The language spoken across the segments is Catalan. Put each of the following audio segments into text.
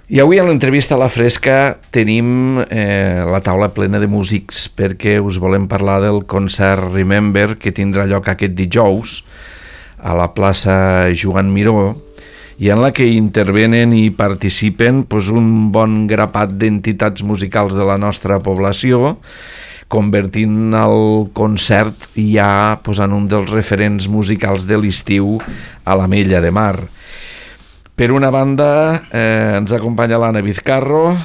I avui a l'entrevista a la Fresca tenim la taula plena de músics perquè us volem parlar del concert Remember que tindrà lloc aquest dijous a la plaça Joan Miró i en la que intervenen i participen un bon grapat d'entitats musicals de la nostra població, convertint el concert ja en un dels referents musicals de l'estiu a l'Ametlla de Mar. Per una banda, ens acompanya l'Anna Vizcarro.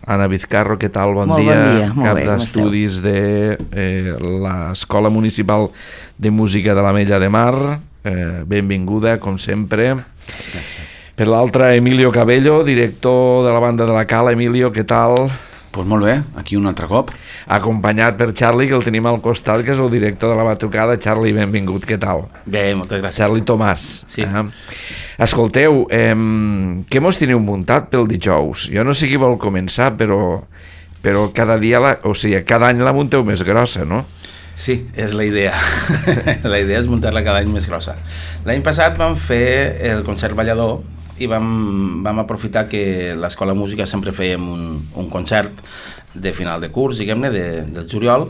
Anna Vizcarro, què tal? Bon dia. Bon dia, molt cap bé, d'estudis de l'Escola Municipal de Música de l'Ametlla de Mar. Benvinguda, com sempre. Gràcies. Per l'altra, Emilio Cabello, director de la banda de la Cala. Emilio, què tal? Doncs molt bé, aquí un altre cop. Acompanyat per Charlie, que el tenim al costat, que és el director de la batucada. Charlie, benvingut, què tal? Bé, moltes gràcies. Charlie Tomàs. Sí. Escolteu, què mos teniu muntat pel dijous? Jo no sé qui vol començar, però cada dia, cada any la munteu més grossa, no? Sí, és la idea. La idea és muntar-la cada any més grossa. L'any passat vam fer el concert ballador i vam aprofitar que l'Escola Música sempre fèiem un concert de final de curs, diguem-ne, del juliol,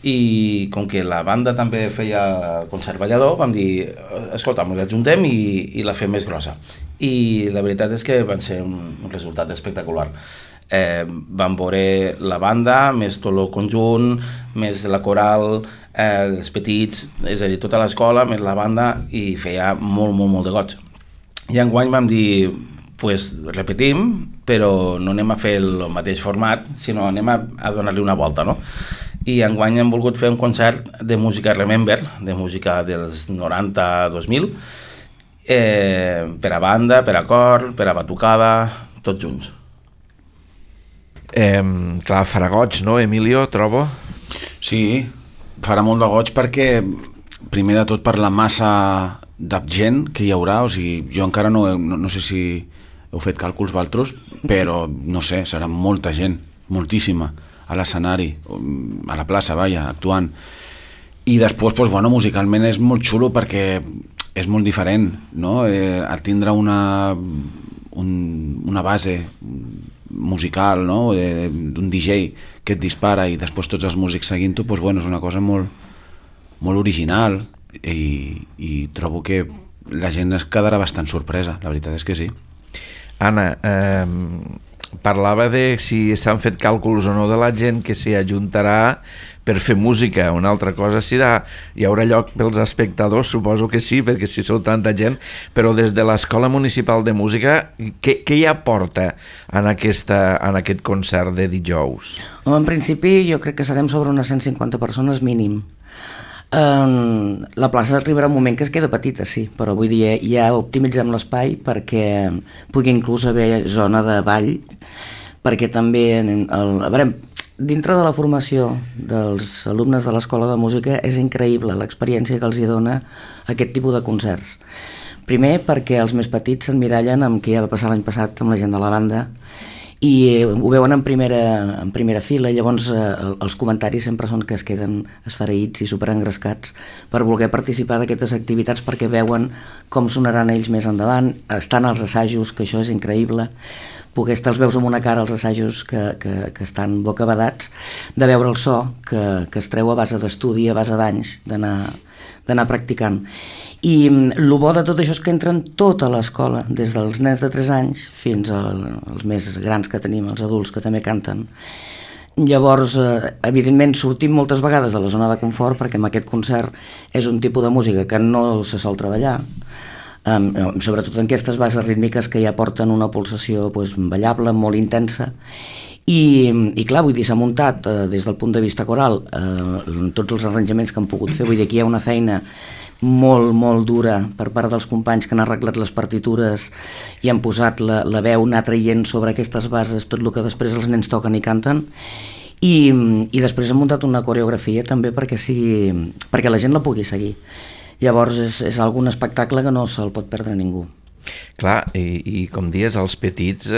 i com que la banda també feia concert ballador, vam dir, escolta, ens ajuntem i la fem més grossa. I la veritat és que van ser un resultat espectacular. Vam veure la banda, més tot el conjunt, més la coral, els petits, és a dir, tota l'escola, més la banda, i feia molt de goig. I enguany vam dir, repetim, però no anem a fer el mateix format, sinó anem a donar-li una volta, no? I enguany hem volgut fer un concert de música Remember, de música dels 90-2000, per a banda, per a cor, per a batucada, tots junts. Clar, farà goig, no, Emilio, trobo? Sí, farà molt de goig perquè, primer de tot, per la massa de gent que hi haurà, o sigui, jo encara no sé si heu fet càlculs vosaltres, però no sé, serà molta gent, moltíssima, a l'escenari, a la plaça, actuant. I després, musicalment és molt xulo perquè és molt diferent, no? Tindrà una base musical, no? D'un DJ que et dispara i després tots els músics seguint-ho, és una cosa molt original i trobo que la gent es quedarà bastant sorpresa, la veritat és que sí. Anna, parlava de si s'han fet càlculs o no de la gent que s'hi ajuntarà per fer música. Una altra cosa serà, hi haurà lloc pels espectadors, suposo que sí, perquè si sou tanta gent, però des de l'Escola Municipal de Música, què hi aporta en aquest concert de dijous? En principi jo crec que serem sobre unes 150 persones mínim. La plaça arribarà un moment que es queda petita, sí, però vull dir, ja optimitzem l'espai perquè pugui inclús haver zona de ball, perquè també a veure, dintre de la formació dels alumnes de l'Escola de Música és increïble l'experiència que els hi dona aquest tipus de concerts. Primer perquè els més petits s'emmirallen amb què ja va passar l'any passat amb la gent de la banda i ho veuen en primera fila, i llavors els comentaris sempre són que es queden esfereïts i superengrescats per voler participar d'aquestes activitats perquè veuen com sonaran ells més endavant, estan als assajos, que això és increïble, poder estar els veus amb una cara als assajos que estan bocabadats de veure el so que es treu a base d'estudi, a base d'anys d'anar practicant. I el bo de tot això és que entren tota l'escola, des dels nens de 3 anys fins als més grans que tenim, els adults que també canten. Llavors, evidentment, sortim moltes vegades de la zona de confort perquè amb aquest concert és un tipus de música que no se sol treballar, sobretot en aquestes bases rítmiques que ja porten una pulsació ballable, molt intensa. I clar, vull dir, s'ha muntat des del punt de vista coral tots els arranjaments que han pogut fer, vull dir, aquí hi ha una feina molt dura per part dels companys que han arreglat les partitures i han posat la veu, anar traient sobre aquestes bases tot el que després els nens toquen i canten, i després han muntat una coreografia també perquè la gent la pugui seguir. Llavors és algun espectacle que no se'l pot perdre ningú. Clar, i com dius, els petits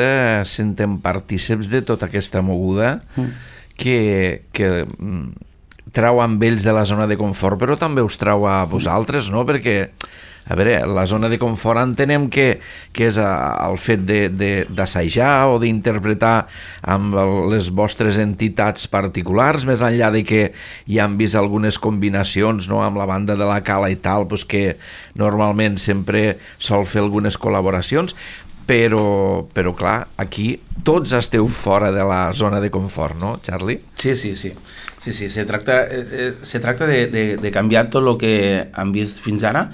senten partíceps de tota aquesta moguda que trau amb ells de la zona de confort, però també us trau a vosaltres, no? Perquè A veure, la zona de confort entenem que és el fet d'assajar o d'interpretar amb les vostres entitats particulars, més enllà de que ja han vist algunes combinacions, no?, amb la banda de la Cala i tal, doncs que normalment sempre sol fer algunes col·laboracions, però clar, aquí tots esteu fora de la zona de confort, no, Charlie? Sí. Se tracta de canviar tot el que han vist fins ara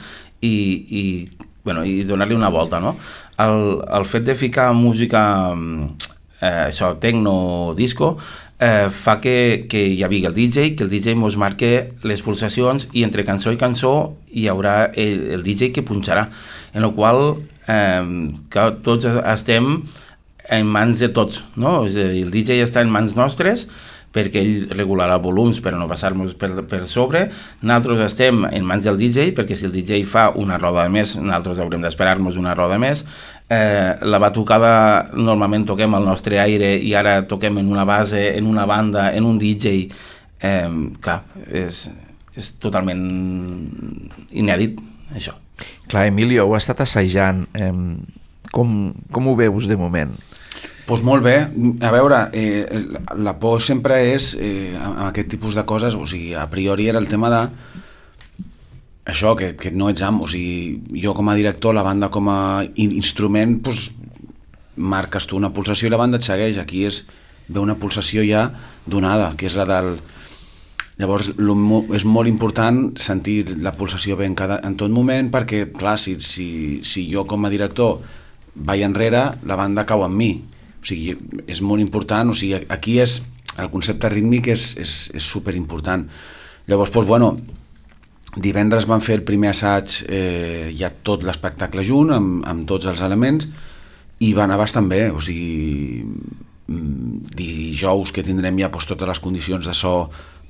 i donar-li una volta, no? El fet de ficar música, això, tecno, disco, fa que hi hagi el DJ, que el DJ mos marque les pulsacions i entre cançó i cançó hi haurà el DJ que punxarà, en el qual que tots estem en mans de tots, no? És a dir, el DJ està en mans nostres perquè ell regularà volums per no passar-nos per sobre. Nosaltres estem en mans del DJ perquè si el DJ fa una roda més, nosaltres haurem d'esperar-nos una roda més. La batucada normalment toquem al nostre aire i ara toquem en una base, en una banda, en un DJ. Clar, és totalment inèdit, això. Clar, Emilio, ho ha estat assajant. Com ho veus de moment? Doncs molt bé. A veure, la por sempre és amb aquest tipus de coses, o sigui, a priori era el tema de això, que no ets amo, o sigui, jo com a director, la banda com a instrument, doncs marques tu una pulsació i la banda et segueix. Aquí ve una pulsació ja donada, que és la del... Llavors és molt important sentir la pulsació bé en tot moment, perquè clar, si jo com a director vaig enrere, la banda cau en mi. O sigui, és molt important, o sigui, aquí el concepte rítmic és superimportant. Llavors, doncs, bueno, divendres van fer el primer assaig, ja tot l'espectacle junt, amb tots els elements, i va anar bastant bé, o sigui, dijous que tindrem ja totes les condicions de so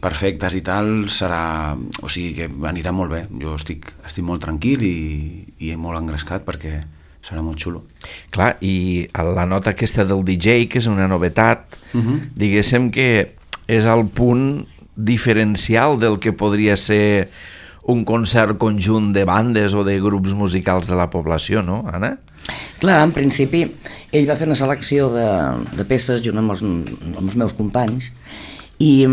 perfectes i tal, serà, o sigui que anirà molt bé. Jo estic molt tranquil i molt engrescat perquè serà molt xulo. Clar, i la nota aquesta del DJ, que és una novetat, diguéssim que és el punt diferencial del que podria ser un concert conjunt de bandes o de grups musicals de la població, no, Anna? Clar, en principi, ell va fer una selecció de peces junt amb els meus companys i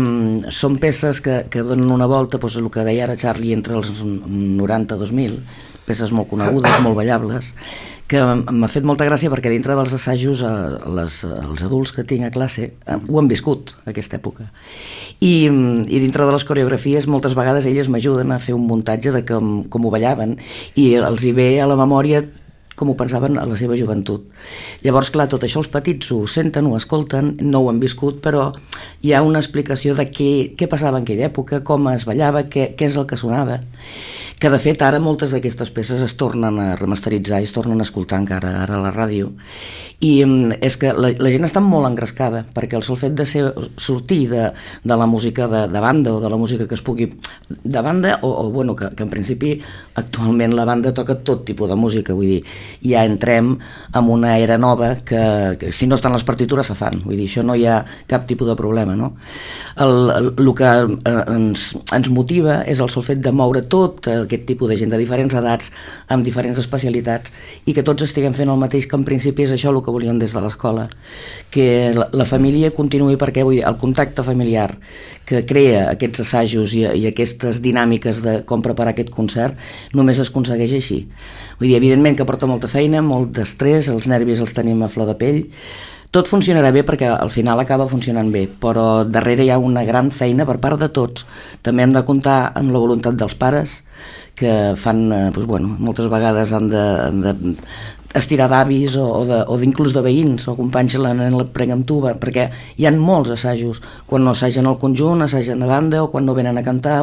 són peces que donen una volta, doncs, el que deia ara Charlie, entre els 90-2000, peces molt conegudes, molt ballables, que m'ha fet molta gràcia perquè dintre dels assajos els adults que tinc a classe ho han viscut, aquesta època. I dintre de les coreografies moltes vegades elles m'ajuden a fer un muntatge de com ho ballaven i els hi ve a la memòria com ho pensaven a la seva joventut. Llavors, clar, tot això els petits ho senten, ho escolten, no ho han viscut, però hi ha una explicació de què passava en aquella època, com es ballava, què és el que sonava, que de fet ara moltes d'aquestes peces es tornen a remasteritzar i es tornen a escoltar encara ara a la ràdio, i és que la gent està molt engrescada perquè el sol fet de sortir de la música de banda o de la música que es pugui de banda o bueno, que en principi actualment la banda toca tot tipus de música, vull dir, ja entrem en una era nova que si no estan les partitures se fan, vull dir, això no hi ha cap tipus de problema, no? El que ens motiva és el sol fet de moure tot aquest tipus de gent de diferents edats, amb diferents especialitats, i que tots estiguem fent el mateix, que en principi és això el que volíem des de l'escola, que la família continuï, perquè vull dir, el contacte familiar que crea aquests assajos i aquestes dinàmiques de com preparar aquest concert només es aconsegueix així. Vull dir, evidentment que porta molta feina, molt d'estrès, els nervis els tenim a flor de pell, tot funcionarà bé perquè al final acaba funcionant bé, però darrere hi ha una gran feina per part de tots. També hem de comptar amb la voluntat dels pares, que fan, doncs, bueno, moltes vegades han de estirar d'avis o inclús de veïns o companys la prenc amb tu, perquè hi ha molts assajos, quan no assagen el conjunt, assagen a banda o quan no venen a cantar,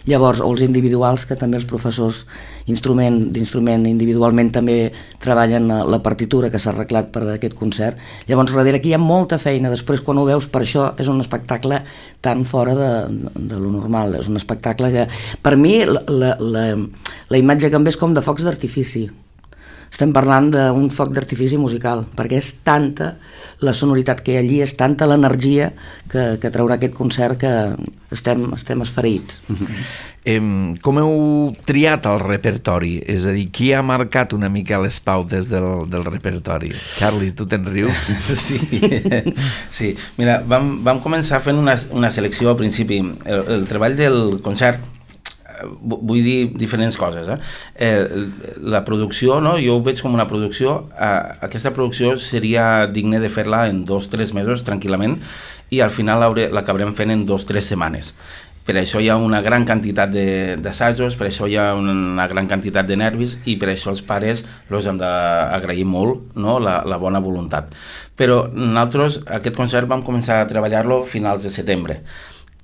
llavors, o els individuals, que també els professors d'instrument individualment també treballen la partitura que s'ha arreglat per aquest concert. Llavors darrere aquí hi ha molta feina, després quan ho veus, per això és un espectacle tan fora de lo normal, és un espectacle que per mi la imatge que em ve és com de focs d'artifici. estem parlant d'un foc d'artifici musical, perquè és tanta la sonoritat que hi ha allí, és tanta l'energia que traurà aquest concert que estem esfereïts. Com heu triat el repertori? És a dir, qui ha marcat una mica les pautes del repertori? Charlie, tu te'n rius? Sí. Mira, vam començar fent una selecció al principi. El treball del concert, vull dir diferents coses. La producció, no? Jo ho veig com una producció. Aquesta producció seria digne de fer-la en 2-3 mesos tranquil·lament i al final l'acabarem fent en 2-3 setmanes. Per això hi ha una gran quantitat d'assajos, per això hi ha una gran quantitat de nervis i per això els pares els hem d'agrair molt, no? la bona voluntat. Però nosaltres aquest concert vam començar a treballar-lo a finals de setembre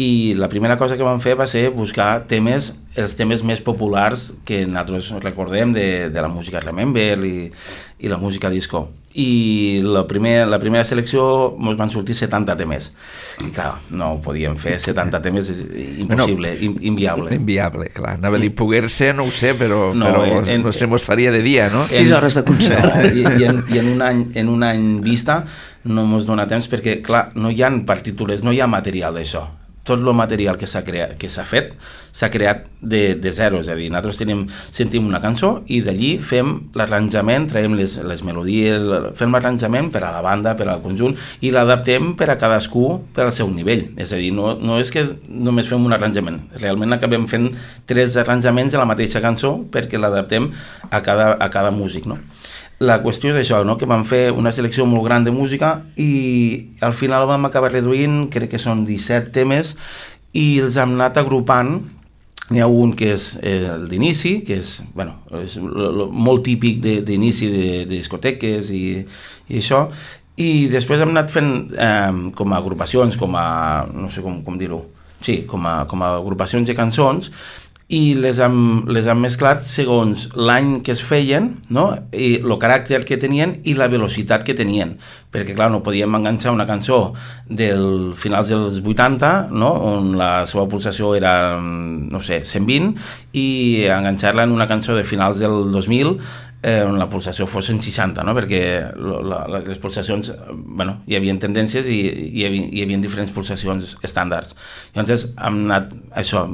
i la primera cosa que vam fer va ser buscar els temes més populars que nosaltres recordem de la música Remember i la música disco. I la primera selecció ens van sortir 70 temes i clar, no ho podíem fer 70 temes, és impossible, inviable. Inviable, clar, anava a dir poder ser, no ho sé, però no sé, mos faria de dia, no? 6 hores de concert. I en un any vista no ens dona temps perquè clar, no hi ha partitures, no hi ha material d'això. Tot el material que s'ha fet s'ha creat de zero, és a dir, nosaltres sentim una cançó i d'allí fem l'arranjament, traiem les melodies, fem l'arranjament per a la banda, per al conjunt i l'adaptem per a cadascú per al seu nivell, és a dir, no és que només fem un arranjament, realment acabem fent 3 arranjaments de la mateixa cançó perquè l'adaptem a cada músic, no? La qüestió és això, no? Que vam fer una selecció molt gran de música i al final vam acabar reduint, crec que són 17 temes, i els hem anat agrupant. N'hi ha un que és el d'inici, que és molt típic d'inici de discoteques i això, i després hem anat fent com a agrupacions, no sé com dir-ho, sí, com a agrupacions de cançons, i les hem mesclat segons l'any que es feien, no? I el caràcter que tenien i la velocitat que tenien, perquè clar, no podíem enganxar una cançó del finals dels 80, no? On la seva pulsació era, no sé, 120, i enganxar-la en una cançó de finals del 2000 on la pulsació fos en 60, no? Perquè les pulsacions, hi havia tendències i hi havia diferents pulsacions estàndards. Llavors hem anat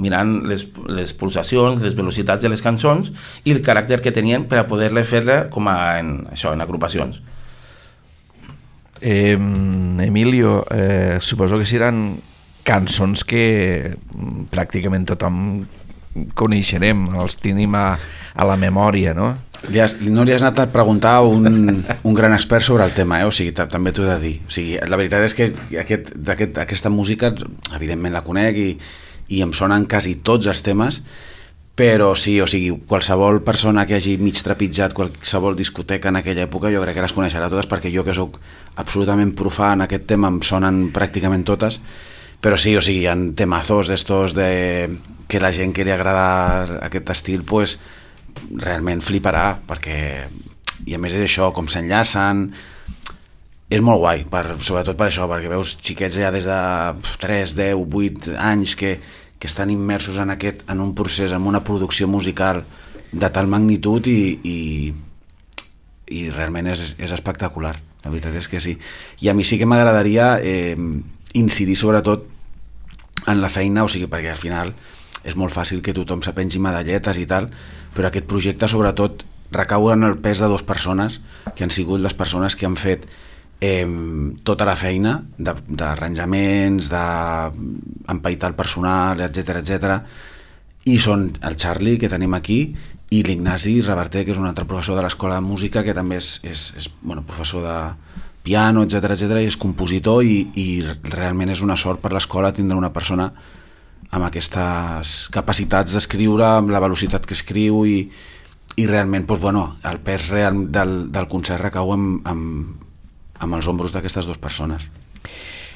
mirant les pulsacions, les velocitats de les cançons i el caràcter que tenien per a poder-les fer-la com en agrupacions. Emilio, suposo que seran cançons que pràcticament tothom coneixerem, els tenim a la memòria, no? No li has anat a preguntar a un gran expert sobre el tema, o sigui, també t'ho he de dir. O sigui, la veritat és que aquesta música, evidentment la conec i em sonen quasi tots els temes, però sí, o sigui, qualsevol persona que hagi mig trepitjat qualsevol discoteca en aquella època jo crec que les coneixerà totes, perquè jo que soc absolutament profà en aquest tema em sonen pràcticament totes, però sí, o sigui, hi ha temazos d'estos que la gent que li agrada aquest estil, pues, realment fliparà, perquè i a més és això, com s'enllacen, és molt guai, sobretot per això, perquè veus xiquets ja des de 3, 10, 8 anys que estan immersos en un procés, en una producció musical de tal magnitud i realment és espectacular, la veritat és que sí. I a mi sí que m'agradaria incidir sobretot en la feina, o sigui, perquè al final és molt fàcil que tothom se pengi medalletes i tal, però aquest projecte sobretot recau en el pes de 2 persones que han sigut les persones que han fet tota la feina d'arranjaments, d'empaitar el personal, etc. I són el Charlie, que tenim aquí, i l'Ignasi Reverter, que és un altre professor de l'Escola de Música, que també és professor de piano, etc, i és compositor, i realment és una sort per l'escola tindre una persona amb aquestes capacitats d'escriure, amb la velocitat que escriu i realment el pes real del concert recau amb els ombros d'aquestes 2 persones.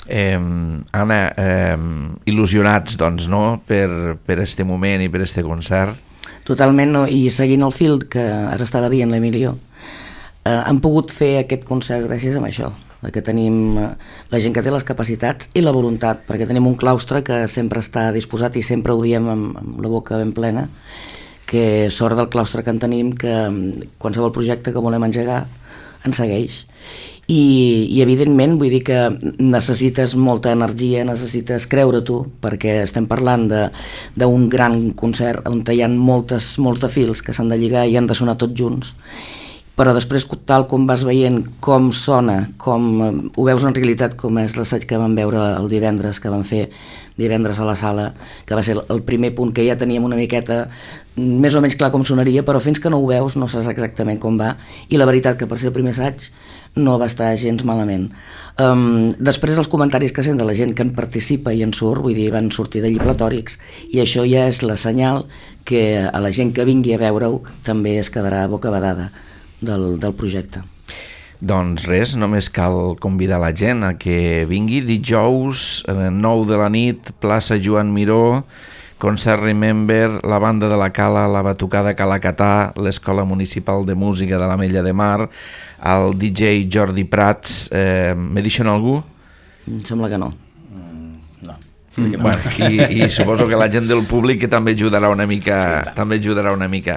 Anna, il·lusionats doncs, no? per este moment i per este concert. Totalment, no? I seguint el fil que ara estava dient l'Emilio, hem pogut fer aquest concert gràcies a això, que tenim la gent que té les capacitats i la voluntat, perquè tenim un claustre que sempre està disposat, i sempre ho diem amb la boca ben plena, que sort del claustre que en tenim, que qualsevol projecte que volem engegar ens segueix. I evidentment vull dir que necessites molta energia, necessites creure tu, perquè estem parlant d'un gran concert on hi ha molts de fils que s'han de lligar i han de sonar tots junts, però després tal com vas veient com sona, com ho veus en realitat, com és l'assaig que vam veure el divendres, que vam fer divendres a la sala, que va ser el primer punt, que ja teníem una miqueta més o menys clar com sonaria, però fins que no ho veus no saps exactament com va, i la veritat que per ser el primer assaig no va estar gens malament. Després els comentaris que sent de la gent que en participa i en surt, vull dir, van sortir d'allí platòrics, i això ja és la senyal que a la gent que vingui a veure-ho també es quedarà bocabadada del projecte. Doncs res, només cal convidar la gent a que vingui dijous 9 de la nit, plaça Joan Miró, concert Remember, la banda de la Cala, la Batucada Calacatà, l'Escola Municipal de Música de l'Ametlla de Mar, el DJ Jordi Prats. M'he deixat algú? Em sembla que no. No. Bueno, i suposo que la gent del públic que també ajudarà una mica,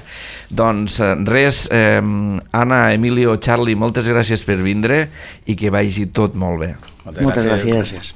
doncs res, Anna, Emilio, Charlie, moltes gràcies per vindre i que vagi tot molt bé. Moltes gràcies.